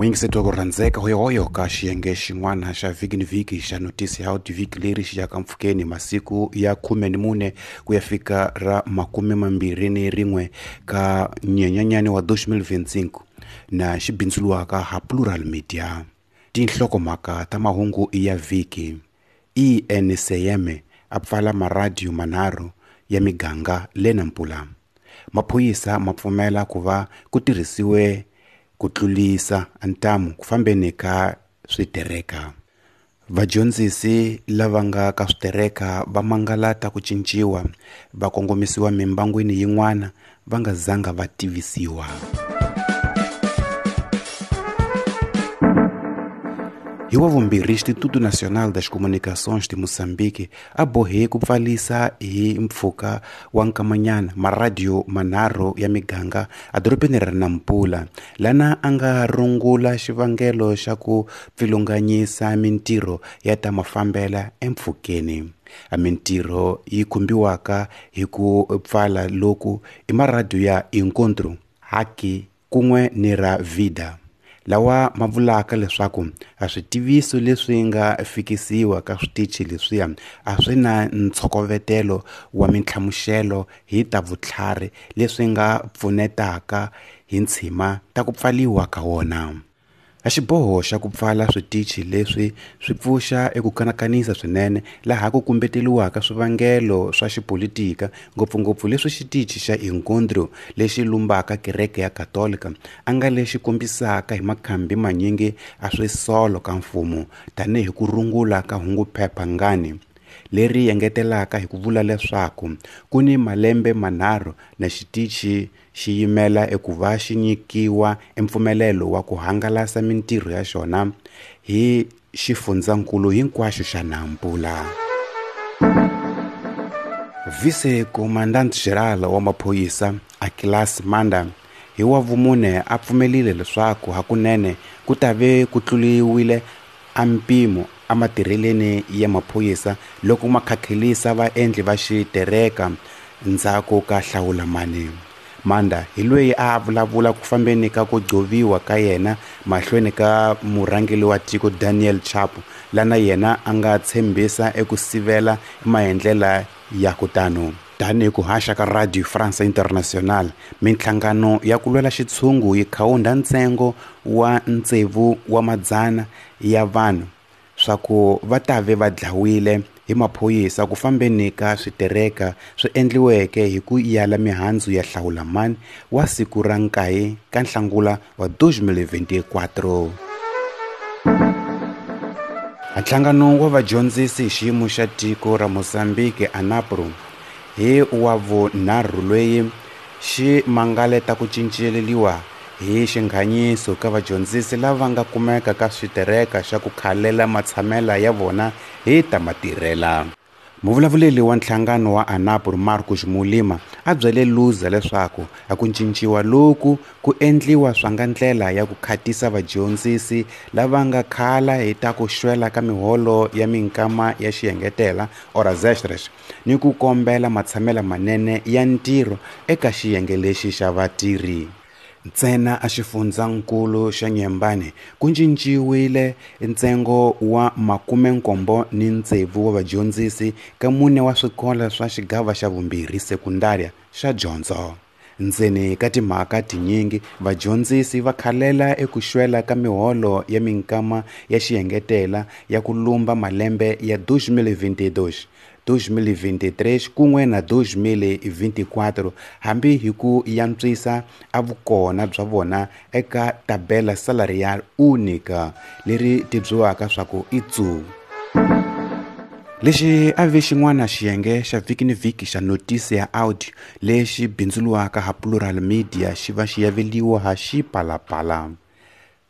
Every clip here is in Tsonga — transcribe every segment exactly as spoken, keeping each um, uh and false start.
Muyingiseti wa ku rhandzeka hoyohoyo ka xiyenge xin'wana xa vhiki ni vhiki xa notisi ya vhiki leri xi yaka mpfhukeni masiku ya khume ni mune ku ya fika ra makume mambirhi ni rin'we ka nyenyanyani wa dois mil vinte e cinco na xi bindzuriwaka ha Plural Media. Tinhlokomhaka ta mahungu ya vhiki: I N C M a pfala maradiyo manharhu ya miganga le Nampula. Maphorisa ma pfumela ku va ku tirhisiwe ku tlulisa ntamu ku fambeni ka switereka. Vadyondzisi lava nga ka switereka va mangalata ku cinciwa va kongomisiwa mimbangwini yin'wana va nga zanga va tivisiwa. Hi wa vumbirhi, Instituto Nacional das Comunicações de Moçambique a bohe ku pfalisa hi mpfhuka wa nkamanyana maradiyo manharhu ya miganga edorobeni ra Nampula, lana a nga rungula xivangelo xa ku pfilunganyisa mintirho ya ta mafambela empfhukeni. A mintirho yi khumbiwaka hi ku pfala loku i maradiyo ya Encontro, Haki kun'we ni ra Vida, lawa ma vulaka leswaku a switiviso leswi nga fikisiwa ka switichi leswiya a swi na ntshokovetelo wa mintlhamuxelo hi ta vutlhari leswi nga pfunetaka hi ntshima ta ku pfaliwa ka wona. A xiboho xa ku pfala switichi leswi swi pfuxa eku kanakanisa swinene laha ku kumbeteliwaka swivangelo swa xipolitika, ngopfungopfu leswi xitichi xa Encontro lexi lumbaka kereke ya Katolika a nga lexi kombisaka hi makhambi manyingi a swisolo ka mfumo tanihi ku rungula ka hunguphepha ngani leri engetelaka hi ku vula leswaku ku ni malembe manharhu na xitichi xi yimela ekuva xi nyikiwa empfumelelo wa ku hangalasa mintirho ya xona hi xifundzankulu hinkwaxo xa Nampula. Vice-Comandante-Geral wa maphorisa Aquilas Manda hi wa vumune a pfumelile leswaku hakunene ku ta ve ku tluliwile a mpimo ematirheleni ya maphorisa loko ma khakhelisa vaendli va xitereka ndzhaku ka hlawulamani. Manda hi loyi a vulavula ku fambeni ka ku gcoviwa ka yena mahlweni ka murhangeri wa tiko Daniel Chapo, lana yena a nga tshembisa eku sivela maendlela ya kutano. Tanihi ku haxa ka Radio France International, minhlangano ya ku lwela xitshungu yi khawunda ntsengo wa tsevu wa madzana ya vanhu swa ku va ta ve va dlawile hi maphorisa ku fambeni ka switereka swi endliweke hi ku yala mihandzu ya hlawulamani wa siku ra nkaye ka Nhlangula wa dois mil vinte e quatro. Nhlangano wa vadyondzisi hi xiyimo xa tiko ra Mozambique ANAPRO hi wa vunharhu loyi xi mangaleta ku cinceleriwa hi xinghanyiso ka vadyondzisi lava nga kumeka ka switereka xa ku khalela matshamela ya vona hi ta matirhela. Muvulavuleri wa nhlangano wa ANAPRO Marcos Mulima a byele Luza leswaku a ku cinciwa loku ku endliwa swa nga ndlela ya ku khatisa vadyondzisi lava nga khala hi ta ku xwela ka miholo ya minkama ya xiyengetela horas extras ni ku kombela matshamela manene ya ntirho eka xiyenge lexi xa vatirhi. Ntsena a xifundzankulu xa Nyembane ku cinciwile ntsengo wa makume nkombo ni tsevu wa vadyondzisi ka mune wa swikolo swa xigava xa vumbirhi sekundaria xa dyondzo. Ndzeni ka timhaka tinyingi vadyondzisi va khalela eku xwela ka miholo ya minkama ya xiyengetela ya ku lumba malembe ya dois mil vinte e dois, dois mil vinte e três kun'we na dois mil vinte e quatro hambi hi ku yantswisa a vukona bya vona eka tabela salarial única leri tibyisiwaka swa ku i T U. Lexi a ve xin'wana xiyenge xa vhiki ni vhiki xa notisi ya audio lexi bindzuriwaka ha Plural Media xi va xi yaveliwa ha Xipalapala.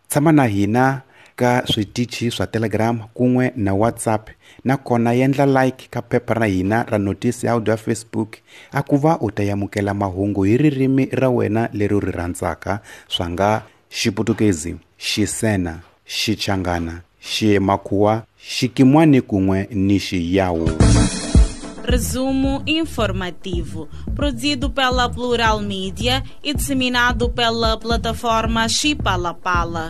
Tshama na hina ka switichi swa Telegram kun'we na WhatsApp, nakona endla like ka phepha ra hina ra notisi ya audio ya Facebook a ku va u ta amukela mahungu hi ririmi ra wena leri u ri rhandzaka swa nga Xiputukezi, Xisena, Xichangana, Ximakhuwa, Xikimwani kun'we ni Xiyawu. Resumo informativo, produzido pela Plural Media e disseminado pela plataforma Xipalapala.